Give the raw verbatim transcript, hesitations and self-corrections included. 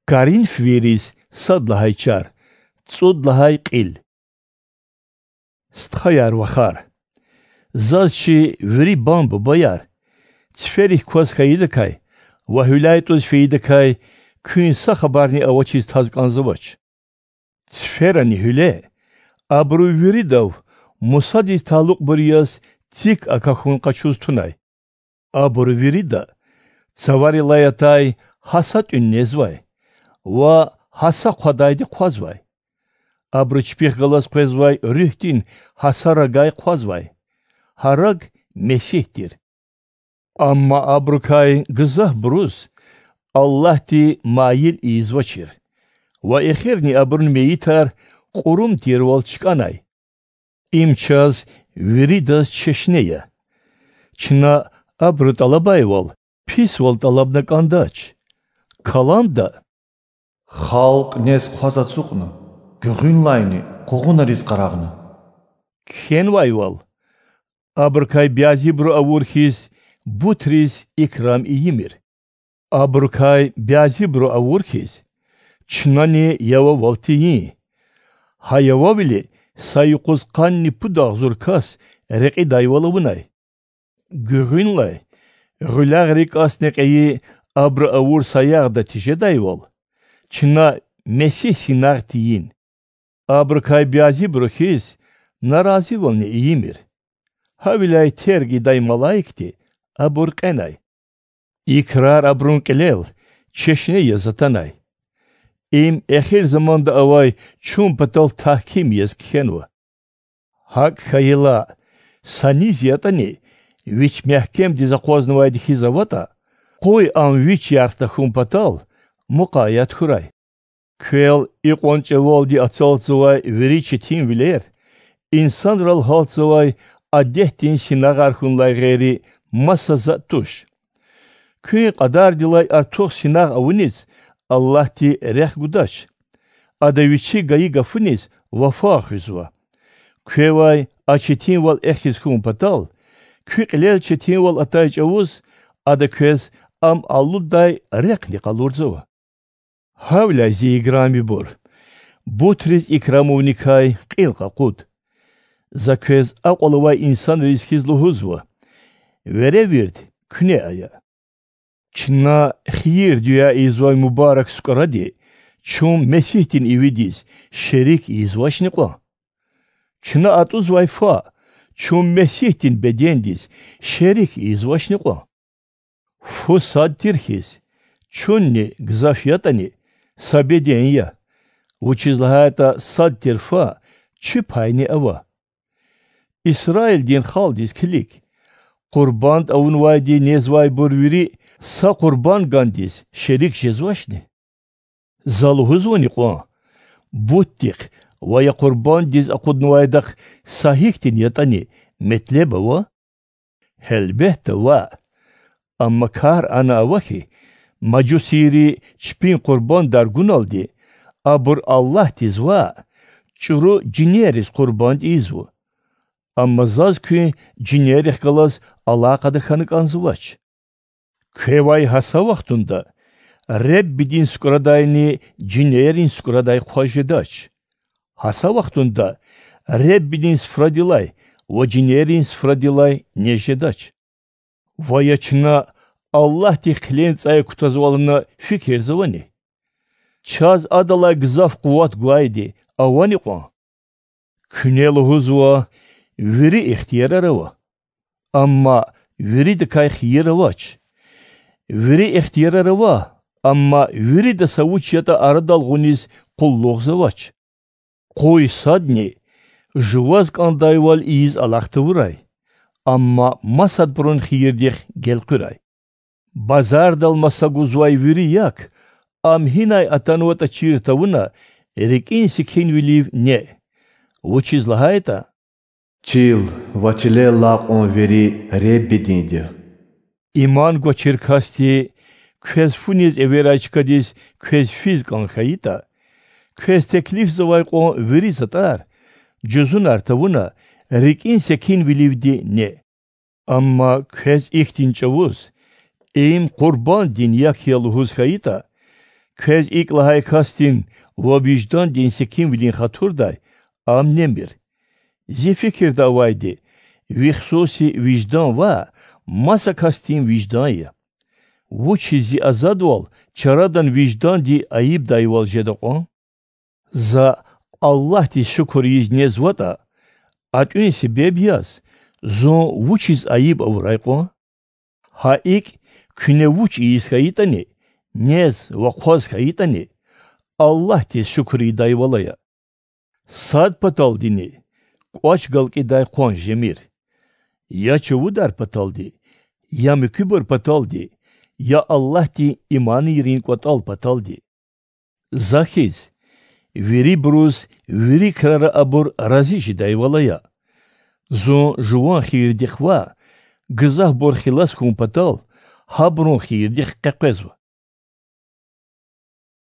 Коринфвийриз сад лагьай чар, цӀуд лагьай кьил. Стхаяр-вахар, заз чи вири бан-бубаяр, циферик кваз хьайидакай ва гьуьлуьз фейидакай куьн са хабарни авачиз таз кӀанзавач. Циферани гьуьле абуру виридав Мусадиз талукьбур яз цик акахьун къачуз тунай. Абуру вирида цаварилай атай гьаса тӀуьн незвай ва гьаса хъвадайди хъвазвай. Абуру чпихъ галаз къвезвай руьгьдин гьаса рагай хъвазвай. Гьа раг Месигь тир. Амма абурукай гзафбуруз Аллагьди майил ийизвачир ва эхирни абурун мейитар кьурум тирвал чкӀанай. Им чаз виридаз чешне я. Чна абуру тӀалабайвал писвал тӀалабна кӀандач. Каламда: Халкь нез-хъваз ацукьна, гуьгъуьнлайни къугъунариз къарагъна кхьенвайвал, абурукай бязибуру авур хьиз бутриз икрам ийимир. Абурукай бязибуру авур хьиз, чнани явавал тийин. Гьа явавили са юкъуз къанни пуд агъзур кас рекьидайвал авунай. Гуьгъуьнлай гъуьлягърикӀасни кьейи абуру авур саягъда тежедайвал, чна Месигь синагъ тийин. Абурукай бязибуру хьиз, наразивални ийимир. Гьавиляй терг ийидай малаикди абур кьенай. И крар абурун кьилел чешне яз атанай. Им эхир заманда авай чун патал тагьким яз кхьенва. ГьакӀ хьайила, са низ ятӀани вич мягькемдиз акъвазнавайди хьиз аватӀа, къуй ам вич ярх тахьун патал мукъаят хьурай. Квел икьван чӀавалди ацалтзавай вири четинвилер инсанрал гьалтзавай адетдин синагъар хьунилай гъейри маса затӀ туш. Куьн кьадардилай артух синагъ авуниз Аллагьди рехъ гудач. Ада Вичи гайи гафуниз вафа хуьзва. Квевай а четинвал эхиз хьун патал, куь кьилел четинвал атай чӀавуз Ада квез ам алуддай рехъни къалурзава. Гьавиляй, зи играмибур, бутриз икрамувникай кьил къакъуд. За квез акьвал авай инсанриз хьиз лугьузва: веревирд куьне ая. Чна хийир-дуьа ийизвай мубарак сукӀради чун Месигьдин ивидиз шерик ийизвачни кьван? Чна атӀузвай фа чун Месигьдин бедендиз шерик ийизвачни кьван? Фу сад тир хьиз, чунни, гзаф ятӀани, са беден я, вучиз лагьайтӀа сад тир фа чи пайни ава. Исраилдин халкьдиз килиг: къурбанд авунвайди незвайбур вири са къурбандгандиз шерик жезвачни? За лугьузвани кьван, бутдихъ ва я къурбанддиз акъуднавайдахъ са гьихьтин ятӀани метлеб ава? Гьелбетда, ваъ. Амма кар ана ава хьи, мажусийри чпин къурбандар гуналди, абур Аллагьдиз ваъ, чӀуру жинерриз къурбанд ийизва. Амма заз куьн жинеррихъ галаз алакъада хьана кӀанзавач. Квевай гьа са вахтунда Реббидин сукӀрадайни жинеррин сукӀрадай хъваз жедач. Гьа са вахтунда Реббидин суфрадилай ва жинеррин суфрадилай нез жедач. Ва я чна Аллагьдихъ хъилен цӀай кутазвална фикирзавани? Чаз Адалай гзаф къуват гвайди авани кьван? Куьне лугьузва: вири ихтиярар ава, амма виридакай хийир авач. Вири ихтиярар ава, амма вирида са вуч ятӀа арадал гъуниз къуллугъзавач. Къуй садни жуваз кӀандайвал ийиз алахъ тавурай, амма масадбурун хийирдихъ гелкъуьрай. Базардал маса гузвай вири як, ам гьинай атанватӀа чир тавуна, рикӀин секинвилив неъ, вучиз лагьайтӀа: Чил ва чилел алай кьван вири Реббидинди я. Иман гвачир касди квез фу низ эверай чкадиз квез физ кӀан хьайитӀа, квез теклифзавай кьван вири затӀар, жузунар тавуна, рикӀин секинвиливди неъ. Амма квез ихьтин чӀавуз, им къурбанддин як я лугьуз хьайитӀа, Квез икӀ лагьай касдин ва виждандин секинвилин хатурдай ам немир. Зи фикирда авайди, ви хсуси виждан ваъ, маса касдин виждан я. Вучиз зи азадвал чарадан вижданди айибдайвал жеда кьван? За Аллагьдиз шукур ийиз незватӀа, а тӀуьн себеб яз зун вучиз айиб авурай кьван? Гьа икӀ, куьне вуч ийиз хьайитӀани, нез ва хъваз хьайитӀани, Аллагьдиз шукур ийидайвал ая. Сад паталдини кӀвач галкӀидай къван жемир: я чувудар паталди, я муькуьбур паталди, я Аллагьдин иманайрин кӀватӀал паталди. За хьиз, вирибуруз вири крара абур рази жедайвал ая. Зун жуван хийирдихъ ваъ, гзафбур хилас хьун патал, гьабурун хийирдихъ къекъвезва.